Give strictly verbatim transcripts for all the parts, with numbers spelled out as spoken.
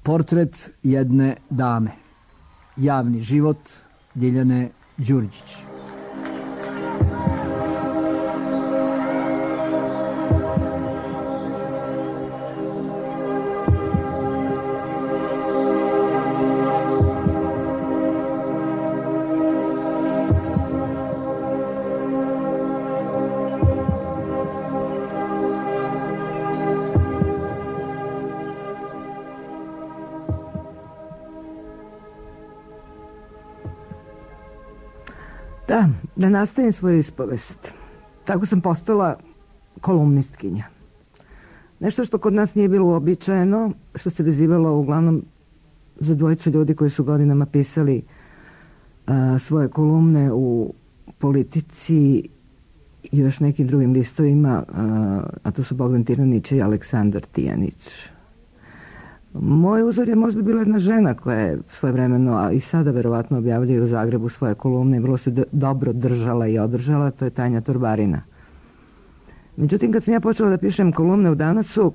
Portret jedne dame. Javni život Ljiljane Đurđić. Da, da nastavim svoju ispovest. Tako sam postala kolumnistkinja. Nešto što kod nas nije bilo uobičajeno, što se vezivalo uglavnom za dvojicu ljudi koji su godinama pisali a, svoje kolumne u Politici i još nekim drugim listovima, a, a to su Bogdan Tiranić i Aleksandar Tijanić. Moj uzor je možda bila jedna žena koja je svojevremeno, a i sada verovatno objavljuje u Zagrebu svoje kolumne i vrlo se d- dobro držala i održala, to je Tanja Torbarina. Međutim, kad sam ja počela da pišem kolumne u Danacu,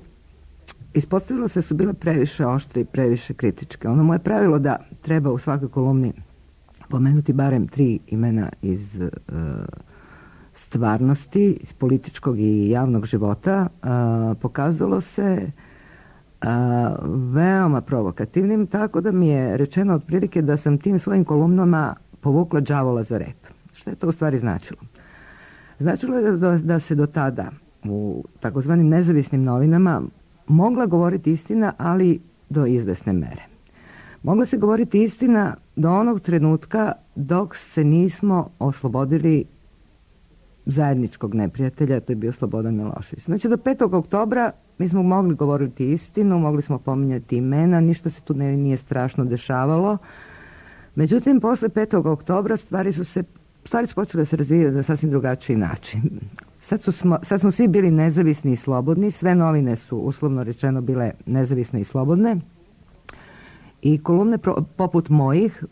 ispostavilo se da su bile previše oštre i previše kritičke. Ono moje pravilo da treba u svakoj kolumni pomenuti barem tri imena iz uh, stvarnosti, iz političkog i javnog života, uh, pokazalo se A, veoma provokativnim, tako da mi je rečeno otprilike da sam tim svojim kolumnama povukla đavola za rep. Što je to u stvari značilo? Značilo je da, da se do tada u takozvanim nezavisnim novinama mogla govoriti istina, ali do izvesne mere. Mogla se govoriti istina do onog trenutka dok se nismo oslobodili zajedničkog neprijatelja, to je bio Slobodan Milošević. Znači do petog oktobra mi smo mogli govoriti istinu, mogli smo pominjati imena, ništa se tu ne, nije strašno dešavalo. Međutim, posle petog oktobra stvari su se stvari su počele da se razvijati na sasvim drugačiji način. Sad, su smo, sad smo svi bili nezavisni i slobodni, sve novine su uslovno rečeno bile nezavisne i slobodne i kolumne pro, poput mojih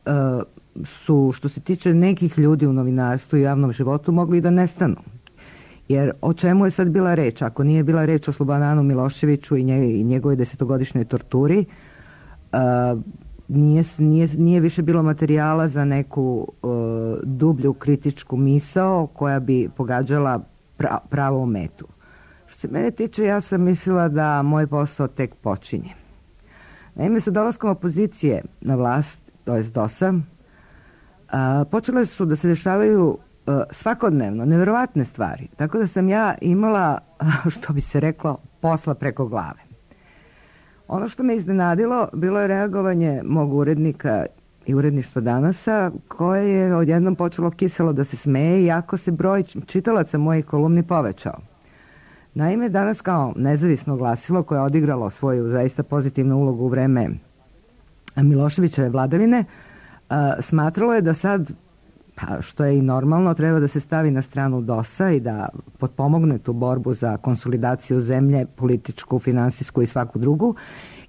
uh, su, što se tiče nekih ljudi u novinarstvu i javnom životu, mogli i da nestanu. Jer o čemu je sad bila reč? Ako nije bila reč o Slobodanu Miloševiću i, nje, i njegovoj desetogodišnjoj torturi, uh, nije, nije, nije više bilo materijala za neku uh, dublju kritičku misao koja bi pogađala pra, pravo metu. Što se mene tiče, ja sam mislila da moj posao tek počinje. Naime, sa dolaskom opozicije na vlast, to je dosa, uh, počele su da se dešavaju svakodnevno, neverovatne stvari. Tako da sam ja imala, što bi se reklo, posla preko glave. Ono što me iznenadilo bilo je reagovanje mog urednika i uredništva Danasa, koje je odjednom počelo kiselo da se smeje, iako se broj čitalaca mojih kolumni povećao. Naime, Danas kao nezavisno glasilo koje je odigralo svoju zaista pozitivnu ulogu u vreme Miloševićeve vladavine, smatralo je da sad, pa što je i normalno, treba da se stavi na stranu dosa i da potpomogne tu borbu za konsolidaciju zemlje, političku, finansijsku i svaku drugu,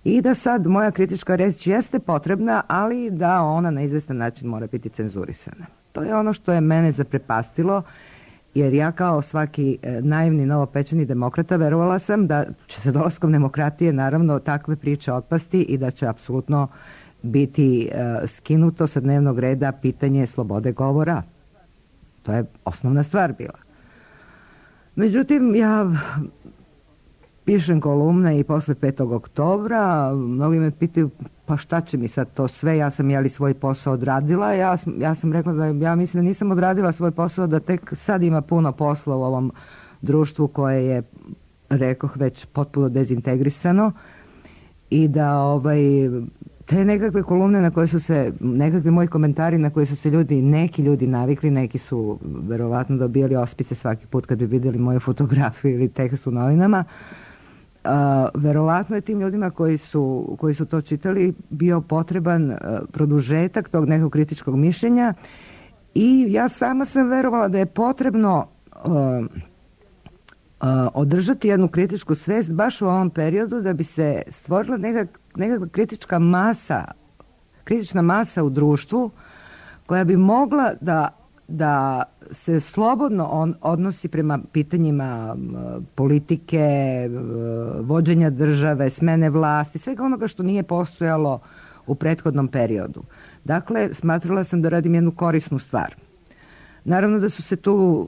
i da sad moja kritička reč jeste potrebna, ali da ona na izvestan način mora biti cenzurisana. To je ono što je mene zaprepastilo, jer ja kao svaki naivni novopečeni demokrata verovala sam da će se dolaskom demokratije naravno takve priče otpasti i da će apsolutno biti uh, skinuto sa dnevnog reda pitanje slobode govora. To je osnovna stvar bila. Međutim, ja pišem kolumne i posle petog oktobra, mnogi me pitaju, pa šta će mi sad to sve, ja sam jeli svoj posao odradila, ja, ja sam rekla da ja mislim da nisam odradila svoj posao, da tek sad ima puno posla u ovom društvu koje je, rekoh, već potpuno dezintegrisano i da ovaj te nekakve kolumne na koje su se, nekakvi moji komentari na koje su se ljudi, neki ljudi navikli, neki su verovatno dobijali ospice svaki put kad bi vidjeli moju fotografiju ili tekst u novinama. Uh, verovatno je tim ljudima koji su, koji su to čitali bio potreban uh, produžetak tog nekog kritičkog mišljenja i ja sama sam verovala da je potrebno uh, uh, održati jednu kritičku svest baš u ovom periodu da bi se stvorila nekak, nekakva kritička masa, kritična masa u društvu koja bi mogla da da se slobodno on odnosi prema pitanjima politike, vođenja države, smene vlasti, svega onoga što nije postojalo u prethodnom periodu. Dakle, smatrala sam da radim jednu korisnu stvar. Naravno da su se tu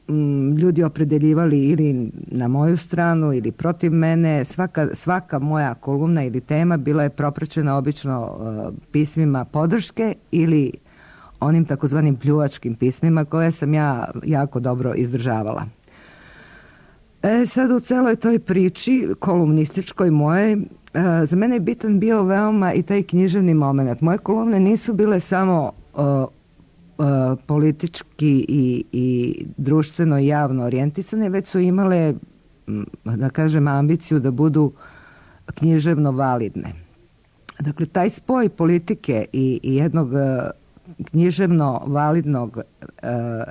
m, ljudi opredeljivali ili na moju stranu ili protiv mene. Svaka, svaka moja kolumna ili tema bila je propraćena obično uh, pismima podrške ili onim takozvanim pljuvačkim pismima koje sam ja jako dobro izdržavala. E, sad u celoj toj priči kolumnističkoj moje, e, za mene je bitan bio veoma i taj književni moment. Moje kolumne nisu bile samo e, e, politički i, i društveno i javno orijentisane, već su imale, da kažem, ambiciju da budu književno validne. Dakle, taj spoj politike i, i jednog književno validnog,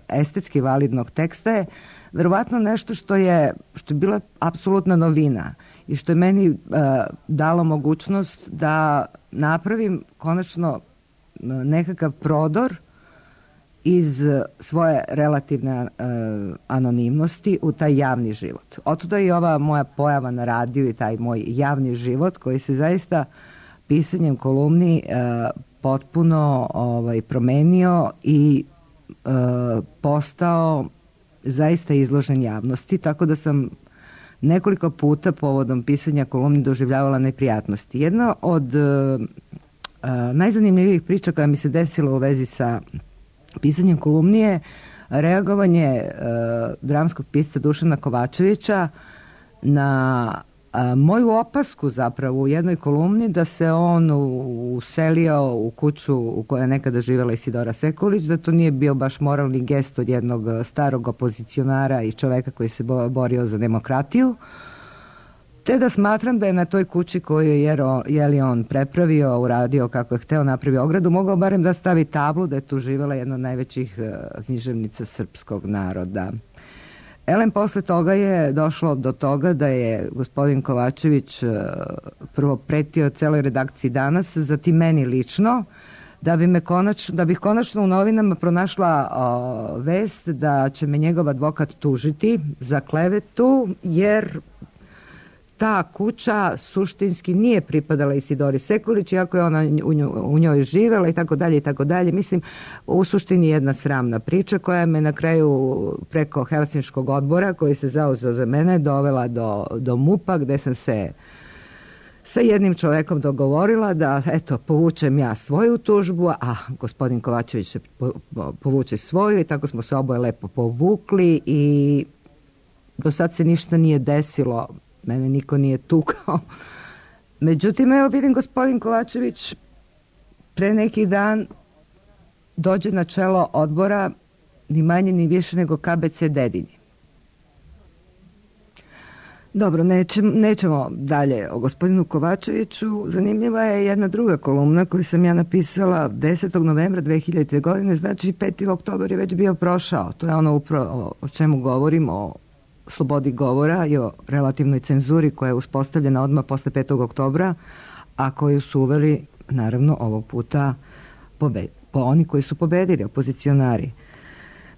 estetski validnog teksta je verovatno nešto što je, što je bila apsolutna novina i što je meni uh, dalo mogućnost da napravim konačno nekakav prodor iz svoje relativne uh, anonimnosti u taj javni život. Otuda i ova moja pojava na radiju i taj moj javni život koji se zaista pisanjem kolumni uh, potpuno ovaj, promenio i uh, postao zaista izložen javnosti, tako da sam nekoliko puta povodom pisanja kolumni doživljavala neprijatnosti. Jedna od uh, uh, najzanimljivijih priča koja mi se desila u vezi sa pisanjem kolumni je reagovanje uh, dramskog pisca Dušana Kovačevića na uh, moju opasku zapravo u jednoj kolumni da se on uselio u kuću u kojoj je nekada živjela Isidora Sekulić, da to nije bio baš moralni gest od jednog starog opozicionara i čoveka koji se borio za demokratiju, te da smatram da je na toj kući koju je jeli on prepravio, uradio kako je hteo, napravio ogradu, mogao barem da stavi tablu da je tu živjela jedna od najvećih književnica srpskog naroda. Elem, posle toga je došlo do toga da je gospodin Kovačević prvo pretio celoj redakciji Danas, zatim meni lično, da bi me konačno, da bih konačno u novinama pronašla o, vest da će me njegov advokat tužiti za klevetu, jer ta kuća suštinski nije pripadala Isidori Sekulić, iako je ona u njoj, u njoj živela i tako dalje i tako dalje. Mislim, u suštini jedna sramna priča koja me na kraju preko Helsinškog odbora koji se zauzeo za mene dovela do, do MUP-a, gde sam se sa jednim čovekom dogovorila da, eto, povučem ja svoju tužbu, a gospodin Kovačević se povuče svoju i tako smo se oboje lepo povukli i do sad se ništa nije desilo. Mene niko nije tukao. Međutim, evo vidim gospodin Kovačević pre neki dan dođe na čelo odbora ni manje ni više nego K B C Dedinje. Dobro, nećemo, nećemo dalje o gospodinu Kovačeviću. Zanimljiva je jedna druga kolumna koju sam ja napisala desetog novembra dve hiljadite. godine, znači peti oktobar je već bio prošao. To je ono upravo o čemu govorim, o slobodi govora i o relativnoj cenzuri koja je uspostavljena odmah posle petog oktobra, a koju su uveli, naravno, ovog puta pobe, po oni koji su pobedili, opozicionari.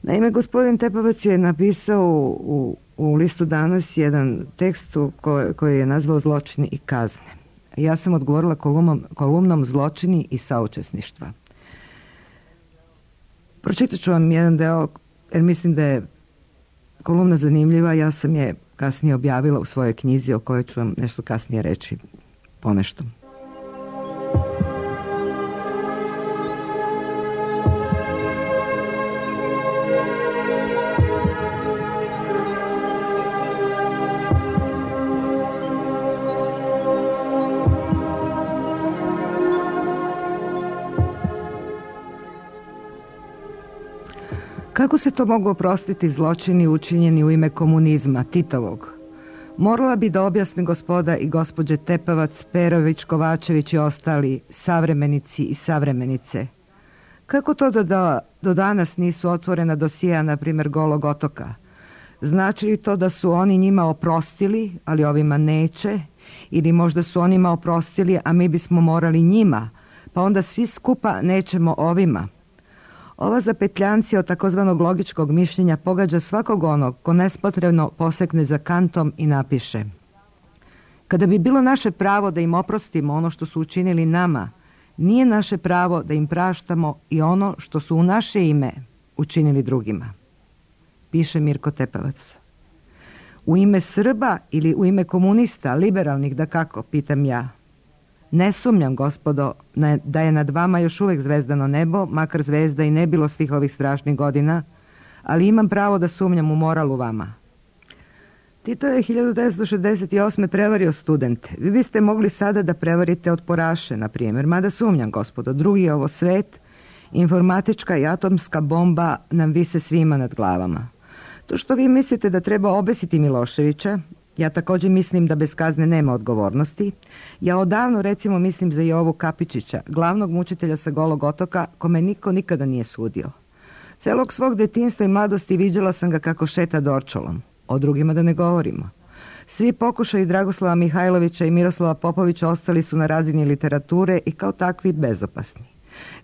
Naime, gospodin Tepavac je napisao u, u, u listu Danas jedan tekst koji, koji je nazvao Zločini i kazne. Ja sam odgovorila kolumnom, kolumnom Zločini i saučesništva. Pročitat ću vam jedan deo, jer mislim da je kolumna zanimljiva, ja sam je kasnije objavila u svojoj knjizi o kojoj ću vam nešto kasnije reći ponešto. Kako se to mogu oprostiti zločini učinjeni u ime komunizma, Titovog? Morala bi da objasne gospoda i gospođe Tepavac, Perović, Kovačević i ostali savremenici i savremenice. Kako to da, da do danas nisu otvorena dosija, na primjer, Golog otoka? Znači li to da su oni njima oprostili, ali ovima neće? Ili možda su onima oprostili, a mi bismo morali njima, pa onda svi skupa nećemo ovima? Ova zapetljancija od takozvanog logičkog mišljenja pogađa svakog onog ko nespotrebno posekne za kantom i napiše: kada bi bilo naše pravo da im oprostimo ono što su učinili nama, nije naše pravo da im praštamo i ono što su u naše ime učinili drugima. Piše Mirko Tepavac. U ime Srba ili u ime komunista, liberalnih da kako, pitam ja. Ne sumnjam, gospodo, da je nad vama još uvijek zvezdano nebo, makar zvezda i ne bilo svih ovih strašnih godina, ali imam pravo da sumnjam u moral u vama. Tito je hiljadu devetsto šezdeset osme prevario studente. Vi biste mogli sada da prevarite otporaše, na primjer, mada sumnjam, gospodo, drugi je ovo svet, informatička i atomska bomba nam vise svima nad glavama. To što vi mislite da treba obesiti Miloševića, ja također mislim da bez kazne nema odgovornosti. Ja odavno recimo mislim za Jovu Kapičića, glavnog mučitelja sa Golog otoka, kome niko nikada nije sudio. Celog svog detinjstva i mladosti viđala sam ga kako šeta dorčolom. O drugima da ne govorimo. Svi pokušaji Dragoslava Mihajlovića i Miroslava Popovića ostali su na razini literature i kao takvi bezopasni.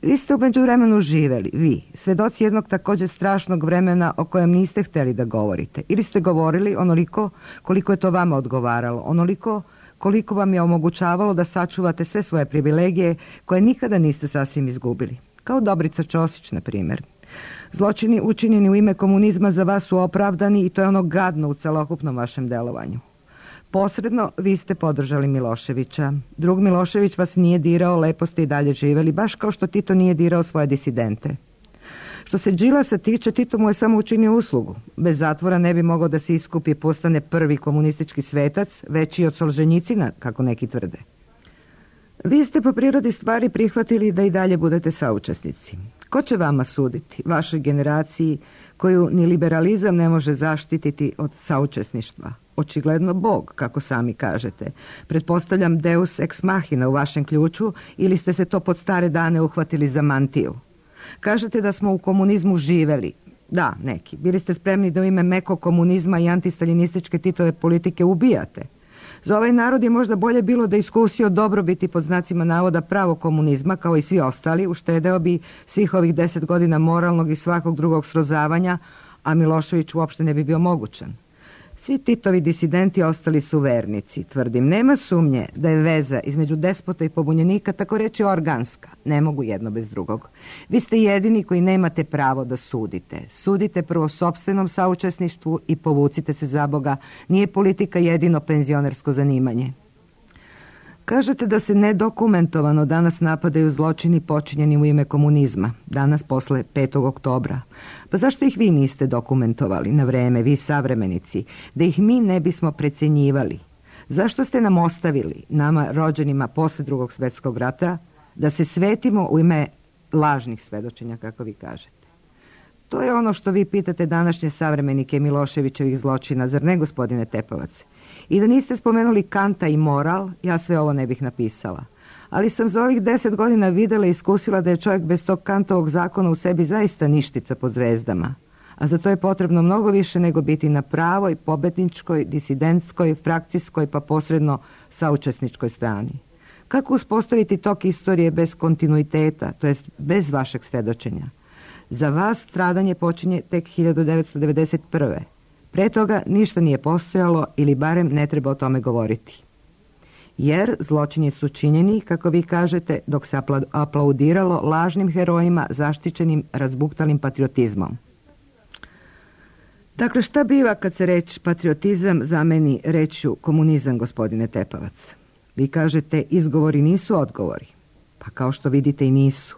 Vi ste u međuvremenu živeli, vi, svedoci jednog također strašnog vremena o kojem niste htjeli da govorite. Ili ste govorili onoliko koliko je to vama odgovaralo, onoliko koliko vam je omogućavalo da sačuvate sve svoje privilegije koje nikada niste sasvim izgubili. Kao Dobrica Ćosić, na primjer. Zločini učinjeni u ime komunizma za vas su opravdani i to je ono gadno u celokupnom vašem delovanju. Posredno vi ste podržali Miloševića. Drug Milošević vas nije dirao, lepo ste i dalje živeli, baš kao što Tito nije dirao svoje disidente. Što se Đilasa tiče, Tito mu je samo učinio uslugu. Bez zatvora ne bi mogao da se iskupi i postane prvi komunistički svetac, veći od Solženjicina, kako neki tvrde. Vi ste po prirodi stvari prihvatili da i dalje budete saučesnici. Ko će vama suditi, vašoj generaciji, koju ni liberalizam ne može zaštititi od saučesništva? Očigledno Bog, kako sami kažete. Pretpostavljam deus ex machina u vašem ključu ili ste se to pod stare dane uhvatili za mantiju. Kažete da smo u komunizmu živeli. Da, neki. Bili ste spremni da u ime mekog komunizma i antistaljinističke Titove politike ubijate. Za ovaj narod je možda bolje bilo da iskusio dobrobiti pod znacima navoda pravo komunizma, kao i svi ostali, uštedeo bi svih ovih deset godina moralnog i svakog drugog srozavanja, a Milošević uopšte ne bi bio mogućan. Svi Titovi disidenti ostali su vernici, tvrdim. Nema sumnje da je veza između despota i pobunjenika tako reći organska. Ne mogu jedno bez drugog. Vi ste jedini koji nemate pravo da sudite. Sudite prvo sopstvenom saučesništvu i povucite se za Boga. Nije politika jedino penzionersko zanimanje. Kažete da se nedokumentovano danas napadaju zločini počinjeni u ime komunizma, danas posle petog oktobra. Pa zašto ih vi niste dokumentovali na vreme, vi savremenici, da ih mi ne bismo precenjivali? Zašto ste nam ostavili, nama rođenima posle drugog svjetskog rata, da se svetimo u ime lažnih svedočenja, kako vi kažete? To je ono što vi pitate današnje savremenike Miloševićevih zločina, zar ne, gospodine Tepavac? I da niste spomenuli Kanta i moral, ja sve ovo ne bih napisala. Ali sam za ovih deset godina vidjela i iskusila da je čovjek bez tog Kantovog zakona u sebi zaista ništica pod zvezdama. A za to je potrebno mnogo više nego biti na pravoj, pobedničkoj, disidentskoj, frakcijskoj pa posredno saučesničkoj strani. Kako uspostaviti tok istorije bez kontinuiteta, to jest bez vašeg svedočenja? Za vas stradanje počinje tek hiljadu devetsto devedeset prve. Pre toga ništa nije postojalo ili barem ne treba o tome govoriti. Jer zločini su činjeni, kako vi kažete, dok se aplaudiralo lažnim herojima zaštićenim razbuktalim patriotizmom. Dakle, šta biva kad se reč patriotizam zameni rečju komunizam, gospodine Tepavac? Vi kažete izgovori nisu odgovori. Pa kao što vidite i nisu.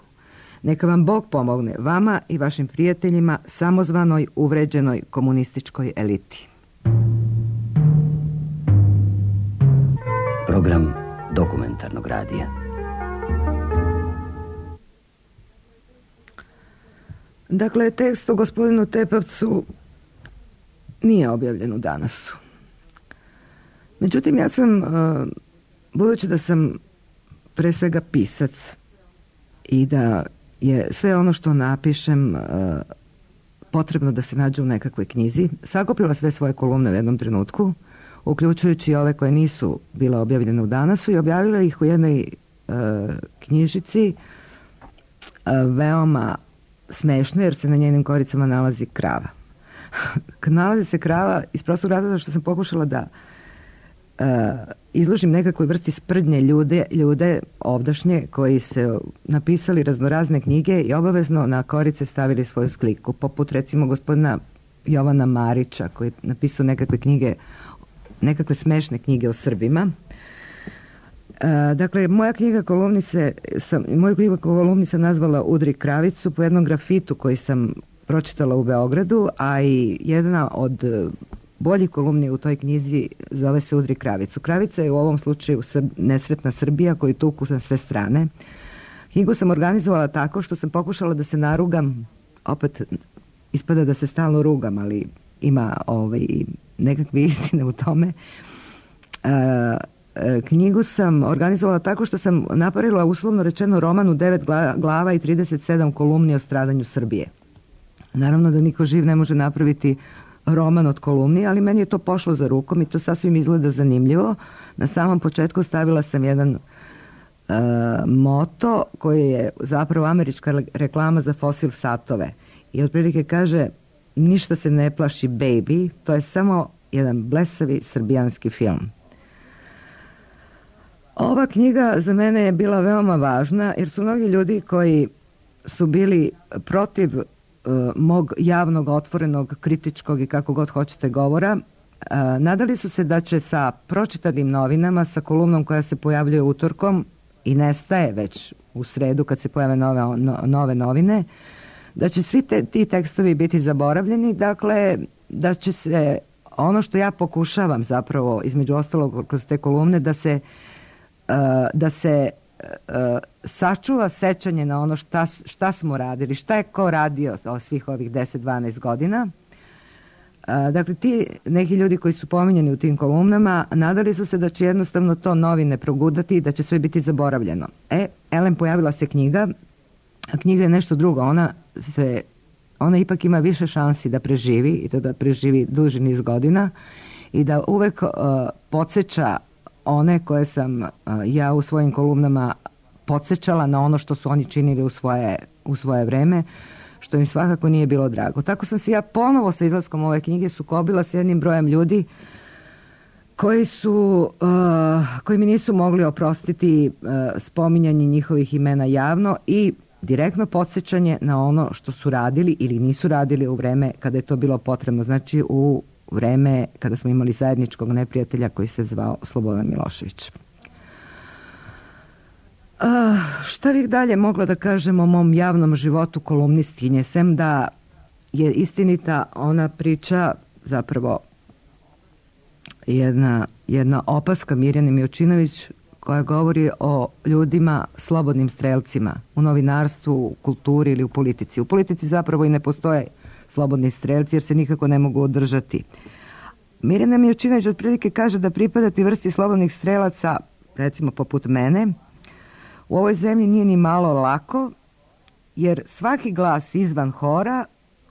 Neka vam Bog pomogne, vama i vašim prijateljima, samozvanoj, uvređenoj komunističkoj eliti. Program dokumentarnog radija. Dakle, tekst o gospodinu Tepavcu nije objavljen u Danasu. Međutim, ja sam, budući da sam pre svega pisac i da je sve ono što napišem uh, potrebno da se nađe u nekakvoj knjizi, sakupila sve svoje kolumne u jednom trenutku, uključujući ove koje nisu bile objavljene u Danasu, i objavila ih u jednoj uh, knjižici uh, veoma smešno jer se na njenim koricama nalazi krava. Nalazi se krava iz prostog razloga što sam pokušala da uh, izložim nekakvoj vrsti sprdnje ljude, ljude ovdašnje koji se napisali raznorazne knjige i obavezno na korice stavili svoju sliku, poput recimo gospodina Jovana Marića koji je napisao nekakve knjige, nekakve smešne knjige o Srbima. E, dakle, moja knjiga kolumnice sam, moju knjigu kolumni sam nazvala Udri kravicu po jednom grafitu koji sam pročitala u Beogradu, a i jedna od boljih kolumni u toj knjizi zove se Udri kravicu. Kravica je u ovom slučaju nesretna Srbija koju tuku na sve strane. Knjigu sam organizovala tako što sam pokušala da se narugam, opet ispada da se stalno rugam, ali ima ovaj, nekakve istine u tome. E, knjigu sam organizovala tako što sam napravila uslovno rečeno roman u devet glava i trideset sedam kolumni o stradanju Srbije. Naravno da niko živ ne može napraviti roman od kolumni, ali meni je to pošlo za rukom i to sasvim izgleda zanimljivo. Na samom početku stavila sam jedan uh, moto koji je zapravo američka reklama za fosil satove i otprilike kaže: ništa se ne plaši baby, to je samo jedan blesavi srbijanski film. Ova knjiga za mene je bila veoma važna jer su mnogi ljudi koji su bili protiv uh, mog javnog, otvorenog, kritičkog i kako god hoćete govora, uh, nadali su se da će sa pročitanim novinama, sa kolumnom koja se pojavljuje utorkom i nestaje već u sredu kad se pojave nove, no, nove novine, da će svi te, ti tekstovi biti zaboravljeni, dakle da će se ono što ja pokušavam zapravo između ostalog kroz te kolumne da se Uh, da se uh, sačuva sećanje na ono šta, šta smo radili, šta je ko radio o svih ovih deset dvanaest godina. Uh, dakle, ti neki ljudi koji su pominjeni u tim kolumnama nadali su se da će jednostavno to novine progudati i da će sve biti zaboravljeno. E, elem, pojavila se knjiga, a knjiga je nešto drugo. Ona, se, ona ipak ima više šansi da preživi i to da preživi duži niz godina i da uvek uh, podsjeća one koje sam uh, ja u svojim kolumnama podsjećala na ono što su oni činili u svoje, u svoje vreme, što im svakako nije bilo drago. Tako sam se ja ponovo sa izlaskom ove knjige sukobila s jednim brojem ljudi koji su, uh, koji mi nisu mogli oprostiti uh, spominjanje njihovih imena javno i direktno podsjećanje na ono što su radili ili nisu radili u vreme kada je to bilo potrebno. Znači u vreme kada smo imali zajedničkog neprijatelja koji se zvao Slobodan Milošević. A, šta bih dalje mogla da kažem o mom javnom životu kolumnistkinje, sem da je istinita ona priča, zapravo jedna, jedna opaska Mirjane Milčinović koja govori o ljudima slobodnim strelcima u novinarstvu, u kulturi ili u politici. U politici zapravo i ne postoje slobodni strelci jer se nikako ne mogu održati. Mirjana Milčinović otprilike kaže da pripadati vrsti slobodnih strelaca, recimo poput mene, u ovoj zemlji nije ni malo lako, jer svaki glas izvan hora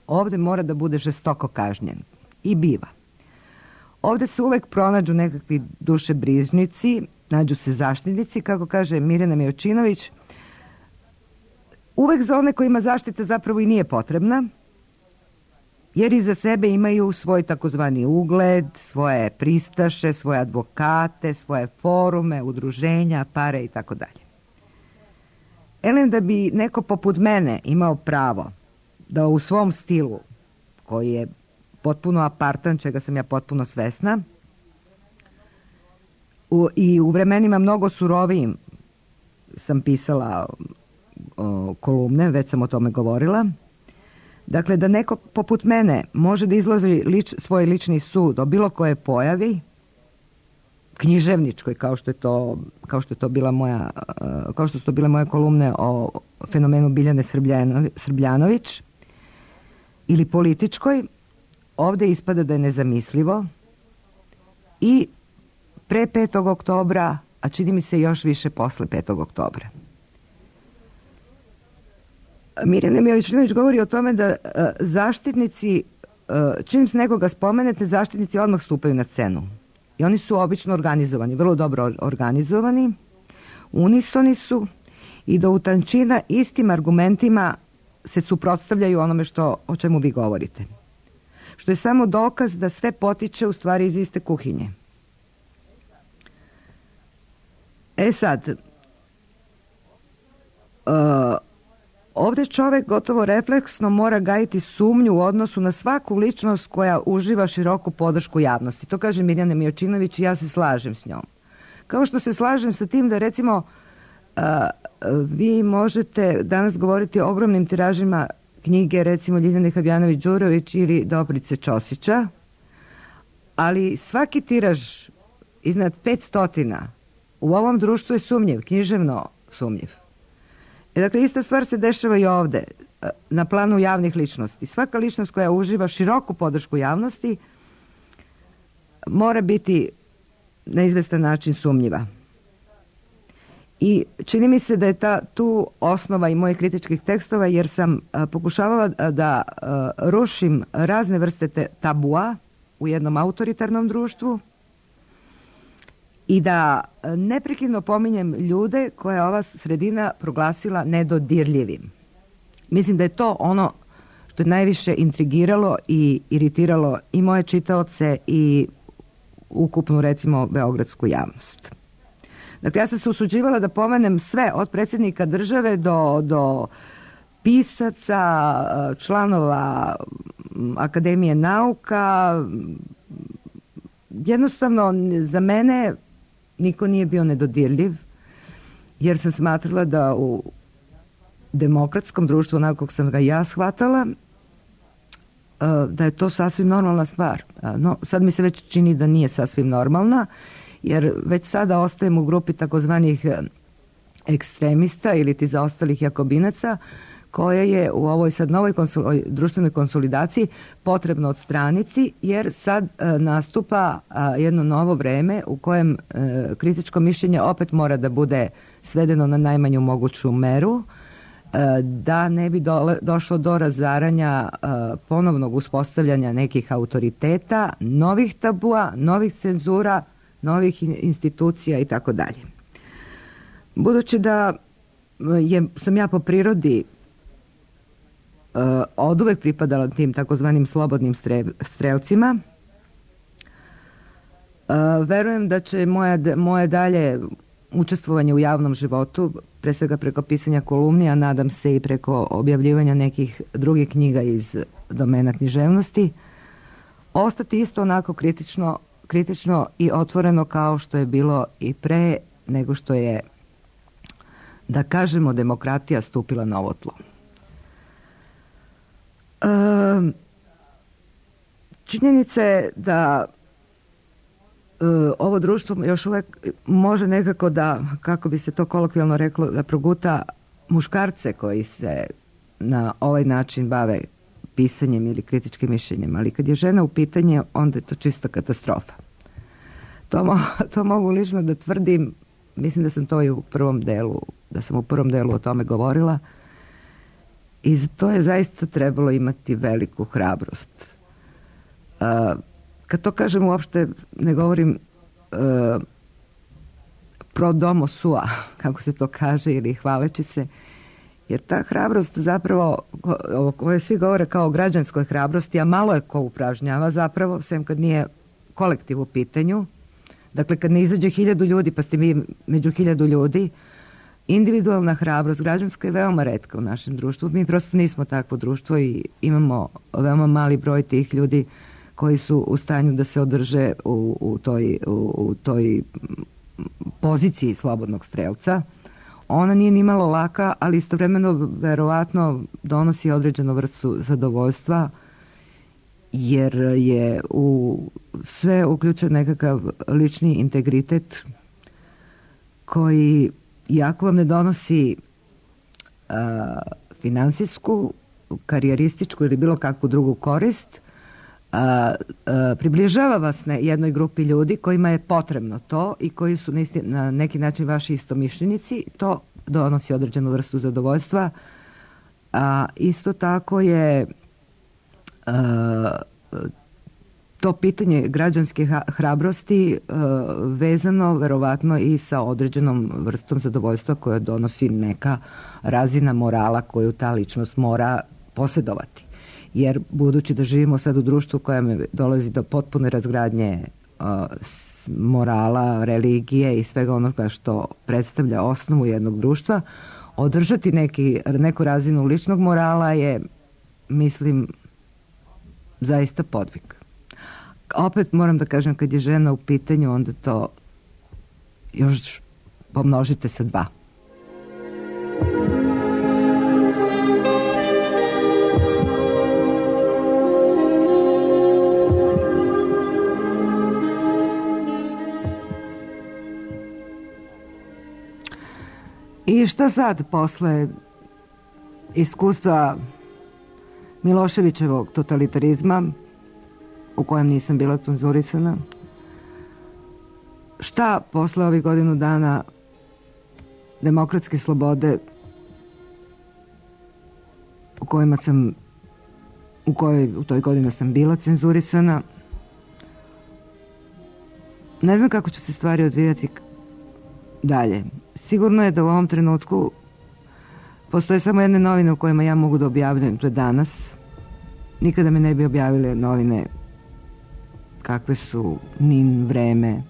ovdje mora da bude žestoko kažnjen. I biva. Ovdje se uvek pronađu nekakvi dušebrižnici, nađu se zaštitnici, kako kaže Mirjana Milčinović, uvek za one kojima zaštita zapravo i nije potrebna, jer iza sebe imaju svoj takozvani ugled, svoje pristaše, svoje advokate, svoje forume, udruženja, pare i tako dalje. Elem, da bi neko poput mene imao pravo da u svom stilu, koji je potpuno apartan, čega sam ja potpuno svesna, u, i u vremenima mnogo surovijim sam pisala o, kolumne, već sam o tome govorila. Dakle, da neko poput mene može da izlazi lič, svoj lični sud o bilo koje pojavi, književničkoj, kao što je to, kao što je to bila moja, kao što su to bile moje kolumne o fenomenu Biljane Srbljanović, ili političkoj, ovdje ispada da je nezamislivo i pre petog oktobra, a čini mi se još više posle petog oktobra. Mirjana Milčinović govori o tome da uh, zaštitnici, uh, čim se nekoga spomenete, zaštitnici odmah stupaju na scenu. I oni su obično organizovani, vrlo dobro organizovani, unisoni su i do utančina istim argumentima se suprotstavljaju onome što, o čemu vi govorite. Što je samo dokaz da sve potiče u stvari iz iste kuhinje. E sad, uh, ovdje čovjek gotovo refleksno mora gajiti sumnju u odnosu na svaku ličnost koja uživa široku podršku javnosti. To kaže Mirjana Miječinović i ja se slažem s njom. Kao što se slažem sa tim da recimo uh, vi možete danas govoriti o ogromnim tiražima knjige recimo Ljiljane Habjanović-Đurović ili Dobrice Ćosića, ali svaki tiraž iznad petstotina u ovom društvu je sumnjiv, književno sumnjiv. E, dakle, ista stvar se dešava i ovdje, na planu javnih ličnosti. Svaka ličnost koja uživa široku podršku javnosti mora biti na izvestan način sumnjiva. I čini mi se da je ta tu osnova i mojih kritičkih tekstova, jer sam a, pokušavala da, da a, rušim razne vrste te tabua u jednom autoritarnom društvu i da neprekidno pominjem ljude koje je ova sredina proglasila nedodirljivim. Mislim da je to ono što je najviše intrigiralo i iritiralo i moje čitaoce i ukupnu, recimo, beogradsku javnost. Dakle, ja sam se usuđivala da pomenem sve, od predsjednika države do, do pisaca, članova Akademije nauka. Jednostavno, za mene niko nije bio nedodirljiv, jer sam smatrala da u demokratskom društvu, onako kako sam ga ja shvatala, da je to sasvim normalna stvar. No, sad mi se već čini da nije sasvim normalna, jer već sada ostajem u grupi takozvanih ekstremista ili ti zaostalih jakobinaca, koja je u ovoj sad novoj konsul, društvenoj konsolidaciji potrebno odstraniti, jer sad e, nastupa a, jedno novo vreme u kojem e, kritičko mišljenje opet mora da bude svedeno na najmanju moguću meru, e, da ne bi dole, došlo do razaranja e, ponovnog uspostavljanja nekih autoriteta, novih tabua, novih cenzura, novih institucija i tako dalje. Budući da je, sam ja po prirodi uh, od uvek pripadala tim takozvanim slobodnim strelcima, uh, verujem da će moja, moje dalje učestvovanje u javnom životu, pre svega preko pisanja kolumni, a nadam se i preko objavljivanja nekih drugih knjiga iz domena književnosti, ostati isto onako kritično kritično i otvoreno kao što je bilo i pre nego što je, da kažemo, demokratija stupila na ovo tlo. E, činjenica je da e, ovo društvo još uvijek može nekako da, kako bi se to kolokvijalno reklo, da proguta muškarce koji se na ovaj način bave pisanjem ili kritičkim mišljenjem, ali kad je žena u pitanje, onda je to čista katastrofa. To, mo- to mogu lično da tvrdim, mislim da sam to i u prvom delu, da sam u prvom delu o tome govorila, i to je zaista trebalo imati veliku hrabrost. Uh, kad to kažem, uopšte ne govorim uh, pro domo sua, kako se to kaže, ili hvaleći se, jer ta hrabrost zapravo, o kojoj svi govore kao o građanskoj hrabrosti, a malo je ko upražnjava zapravo, sem kad nije kolektiv u pitanju. Dakle, kad ne izađe hiljadu ljudi, pa ste mi među hiljadu ljudi, individualna hrabrost građanska je veoma retka u našem društvu. Mi prosto nismo takvo društvo i imamo veoma mali broj tih ljudi koji su u stanju da se održe u, u, toj, u, u toj poziciji slobodnog strelca. Ona nije ni malo laka, ali istovremeno verovatno donosi određenu vrstu zadovoljstva, jer je u sve uključen nekakav lični integritet koji, iako vam ne donosi a, finansijsku, karijerističku ili bilo kakvu drugu korist, a, a, približava vas na jednoj grupi ljudi kojima je potrebno to i koji su na, isti, na neki način vaši istomišljenici. To donosi određenu vrstu zadovoljstva. A isto tako je Uh, to pitanje građanske hrabrosti uh, vezano verovatno i sa određenom vrstom zadovoljstva koja donosi neka razina morala koju ta ličnost mora posjedovati. Jer budući da živimo sad u društvu kojem dolazi do potpune razgradnje uh, morala, religije i svega onoga što predstavlja osnovu jednog društva, održati neki, neku razinu ličnog morala je, mislim, zaista podvig. Opet moram da kažem, kad je žena u pitanju, onda to još pomnožite sa dva. I šta sad posle iskustva Miloševićevog totalitarizma, u kojem nisam bila cenzurisana, šta posle ovih godinu dana demokratske slobode u kojima sam u kojoj u toj godini sam bila cenzurisana, ne znam kako će se stvari odvijati dalje. Sigurno je da u ovom trenutku postoje samo jedne novine u kojima ja mogu da objavljujem, to je Danas. Nikada mi ne bi objavile novine kakve su N I N, Vreme,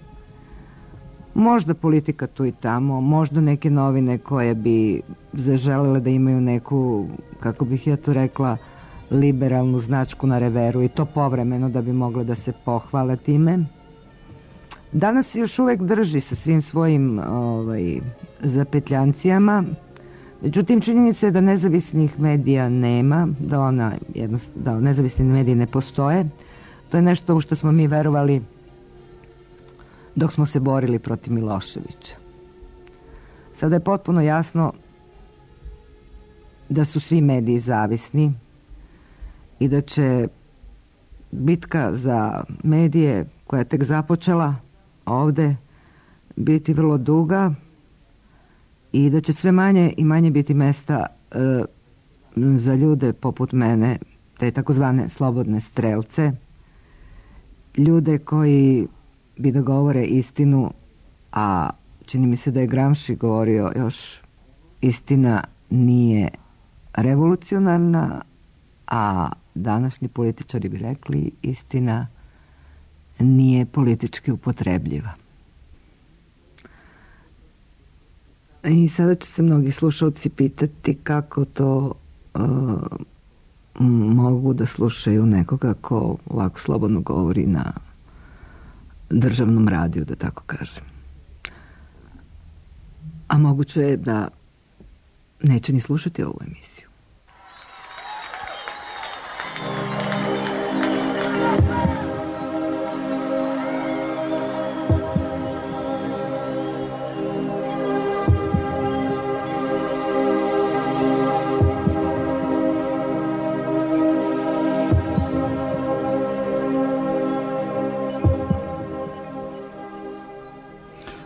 možda Politika tu i tamo, možda neke novine koje bi zaželele da imaju neku, kako bih ja to rekla, liberalnu značku na reveru, i to povremeno da bi mogle da se pohvale time. Danas se još uvek drži sa svim svojim ovaj, zapetljancijama, međutim činjenica je da nezavisnih medija nema, da, ona, da nezavisni mediji ne postoje. To je nešto u što smo mi verovali dok smo se borili protiv Miloševića. Sada je potpuno jasno da su svi mediji zavisni i da će bitka za medije koja je tek započela ovde biti vrlo duga i da će sve manje i manje biti mesta e, za ljude poput mene, te takozvane slobodne strelce, ljude koji bi da govore istinu, a čini mi se da je Gramsci govorio još, istina nije revolucionarna, a današnji političari bi rekli istina nije politički upotrebljiva. I sada će se mnogi slušalci pitati kako to uh, mogu da slušaju nekoga ko ovako slobodno govori na državnom radiju, da tako kažem. A moguće je da neće ni slušati ovu emisiju.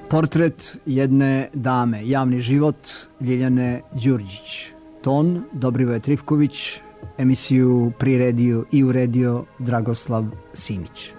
Portret jedne dame, javni život Ljiljane Đurđić. Ton Dobrivoje Trifković, emisiju priredio i uredio Dragoslav Simić.